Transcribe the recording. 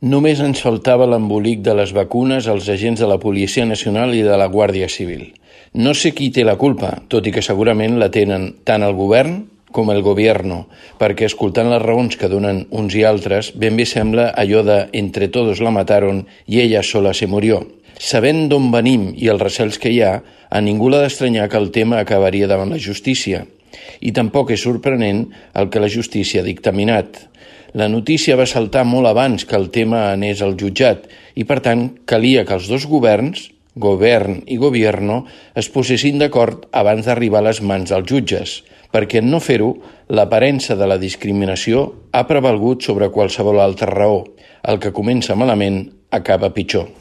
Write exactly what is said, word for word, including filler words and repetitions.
Només ens faltava l'embolic de les vacunes als agents de la Policia Nacional i de la Guàrdia Civil. No sé qui té la culpa, tot i que segurament la tenen tant el govern com el gobierno, perquè escoltant les raons que donen uns i altres, ben bé sembla allò de «entre todos la mataron y ella sola se murió». Sabent d'on venim i els recels que hi ha, a ningú l'ha d'estranyar que el tema acabaria davant la justícia. I tampoc és sorprenent el que la justícia ha dictaminat. La notícia va saltar molt abans que el tema anés al jutjat i, per tant, calia que els dos governs, govern i gobierno, es posessin d'acord abans d'arribar a les mans dels jutges, perquè en no fer-ho, l'aparença de la discriminació ha prevalgut sobre qualsevol altra raó. El que comença malament acaba pitjor.